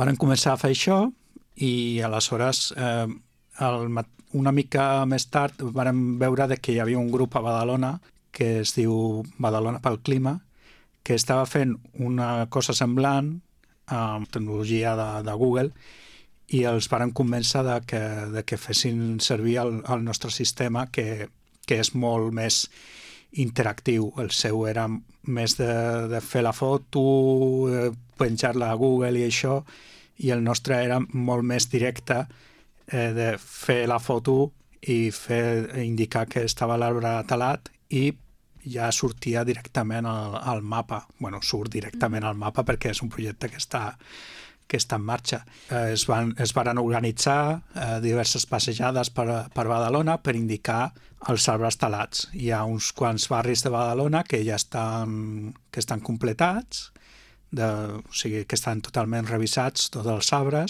Varen començar a fer això i aleshores una mica més tard vàrem veure que hi havia un grup a Badalona que es diu Badalona pel Clima, que estava fent una cosa semblant amb tecnologia de Google i els varen convèncer de que fessin servir el nostre sistema que és molt més interactiu. El seu era més de fer la foto, penjar-la a Google i això, i el nostre era molt més directe, de fer la foto i indicar que estava l'arbre talat i ja sortia directament al mapa. Bueno, surt directament al mapa perquè és un projecte que està en marxa. Es varen organitzar diverses passejades per Badalona per indicar els arbres talats. Hi ha uns quants barris de Badalona que ja estan completats, o sigui, que estan totalment revisats, tots els arbres,